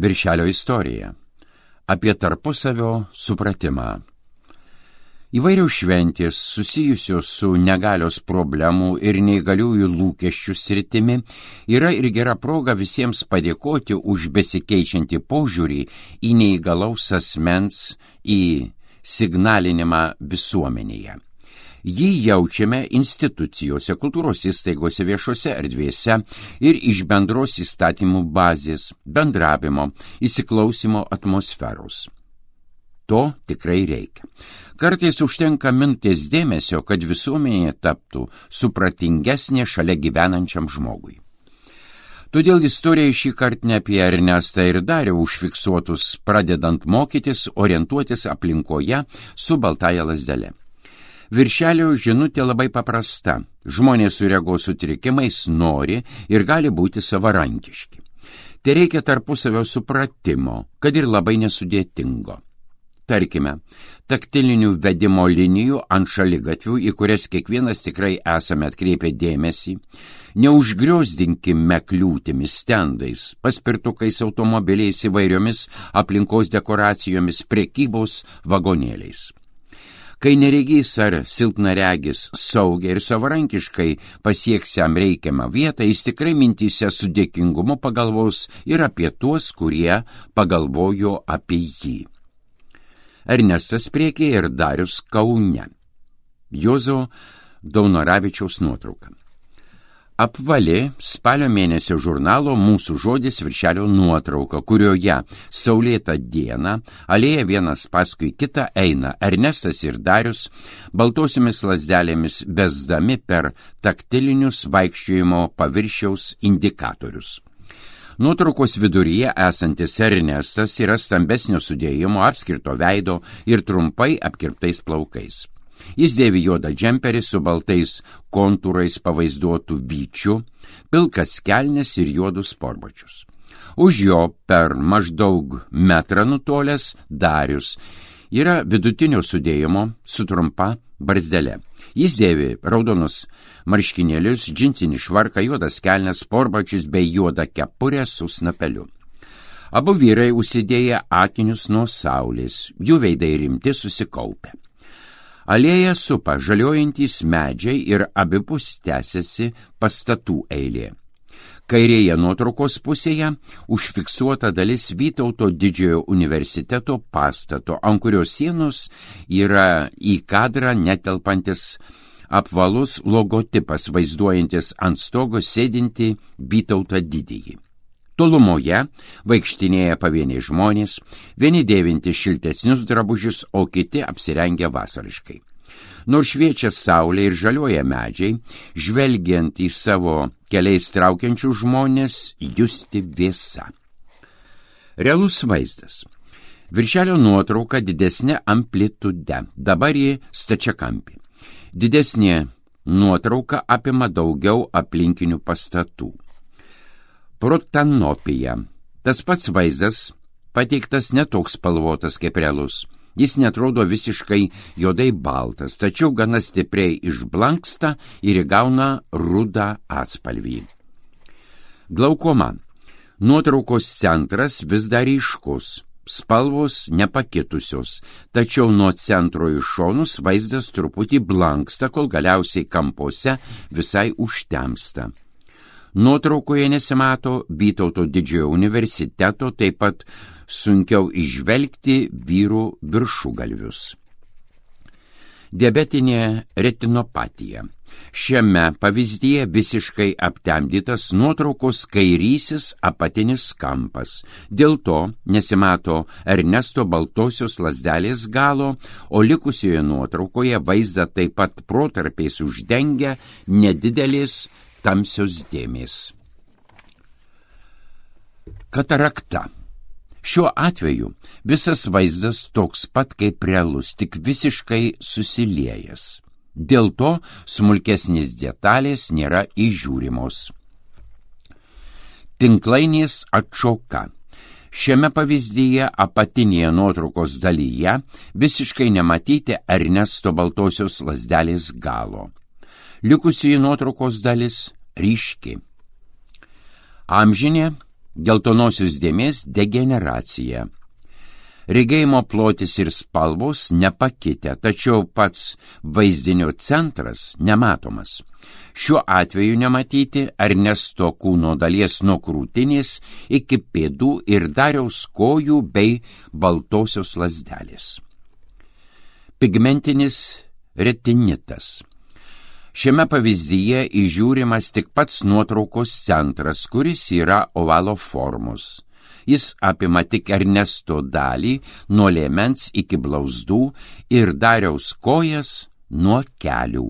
Viršelio istorija. Apie tarpusavio supratimą. Įvairios šventės susijusios su negalios problemų ir neįgaliųjų lūkesčių sritimi yra ir gera proga visiems padėkoti už besikeičiantį požiūrį į neįgalaus asmens signalinimą visuomenėje. Jį jaučiame institucijose, kultūros įstaigose, viešose erdvėse ir iš bendros įstatymų bazės, bendravimo, įsiklausimo atmosferos. To tikrai reikia. Kartais užtenka minutės dėmesio, kad visuomenė taptų supratingesnė šalia gyvenančiam žmogui. Todėl istorija šį kartą ne apie Ernestą ir Darių užfiksuotus, pradedant mokytis, orientuotis aplinkoje su baltaja lazdele. Viršelio žinutė labai paprasta. Žmonės su regos sutrikimais nori ir gali būti savarankiški. Tai reikia tarpusavio supratimo, kad ir labai nesudėtingo. Tarkime, taktilinių vedimo linijų ant šaligatvių, į kurias kiekvienas tikrai esame atkreipę dėmesį, neužgriozdinkime kliūtimis, stendais, paspirtukais, automobiliais, įvairiomis aplinkos dekoracijomis, prekybos vagonėliais. Kai neregys ar silpnaregis saugiai ir savarankiškai pasieks jam reikiamą vietą, jis tikrai mintyse su dėkingumu pagalvos ir apie tuos, kurie pagalvojo apie jį. Ernestas Priekė ir Darius Kaune. Juozo Daunoravičiaus nuotrauka. Apvali spalio mėnesio žurnalo Mūsų žodis viršelio nuotrauka, kurioje saulėtą dieną alėja vienas paskui kitą eina Ernestas ir Darius baltosiomis lazdelėmis besdami per taktilinius vaikščiojimo paviršiaus indikatorius. Nuotraukos viduryje esantis Ernestas yra stambesnio sudėjimo, apskirto veido ir trumpai apkirptais plaukais. Jis dėvi juodą džemperį su baltais kontūrais pavaizduotų vyčių, pilkas kelnes ir juodus sportbačius. Už jo per maždaug metrą nutolęs Darius yra vidutinio sudėjimo su trumpa barzdele. Jis dėvi raudonus marškinėlius, džinsinį švarką, juodas kelnes, sportbačius bei juodą kepurę su snapeliu. Abu vyrai užsidėję akinius nuo saulės, jų veidai rimti susikaupę. Alėja supa žaliuojantys medžiai ir abipus tęsiasi pastatų eilė. Kairėje nuotraukos pusėje užfiksuota dalis Vytauto didžiojo universiteto pastato, ant kurios sienos yra į kadrą netelpantis apvalus logotipas vaizduojantis ant stogo sėdinti Vytautą didįjį. Tolumoje vaikštinėja pavieniai žmonės, vieni dėvinti šiltesnius drabužius, o kiti apsirengę vasariškai. Nors šviečia saulė ir žaliuoja medžiai, žvelgiant į savo keliais traukiančių žmonės, justi vėsa. Realus vaizdas. Viršelio nuotrauka didesnė amplitude, dabar ji stačiakampė. Didesnė nuotrauka apima daugiau aplinkinių pastatų. Protanopija. Tas pats vaizdas pateiktas netoks spalvotas kaip realus. Jis netrodo visiškai juodai baltas, tačiau gana stipriai išblanksta ir įgauna rudą atspalvį. Glaukoma. Nuotraukos centras vis dar ryškus, spalvos nepakitusios, tačiau nuo centro į šonus vaizdas truputį blanksta, kol galiausiai kampuose visai užtemsta. Nuotraukoje nesimato Vytauto didžiojo universiteto, taip pat sunkiau išvelgti vyrų viršugalvius. Diabetinė retinopatija. Šiame pavyzdyje visiškai aptemdytas nuotraukos kairysis apatinis kampas. Dėl to nesimato Ernesto baltosios lazdelės galo, o likusioje nuotraukoje vaizdą taip pat protarpiais uždengia nedidelės tamsios dėmės. Katarakta. Šiuo atveju visas vaizdas toks pat kaip realus, tik visiškai susiliejęs. Dėl to smulkesnės detalės nėra įžiūrimos. Tinklainės atšoka. Šiame pavyzdyje apatinėje nuotraukos dalyje visiškai nematyti Ernesto baltosios lazdelės galo. Likusioji nuotraukos dalis ryški. Amžinė geltonosios dėmės degeneracija. Regėjimo plotis ir spalvos nepakitę, tačiau pats vaizdinio centras nematomas. Šiuo atveju nematyti Ernesto kūno dalies nuo krūtinės iki pėdų ir Dariaus kojų bei baltosios lazdelės. Pigmentinis retinitas. Šiame pavyzdyje įžiūrimas tik pats nuotraukos centras, kuris yra ovalo formos. Jis apima tik Ernesto dalį nuo liemens iki blauzdų ir Dariaus kojas nuo kelių.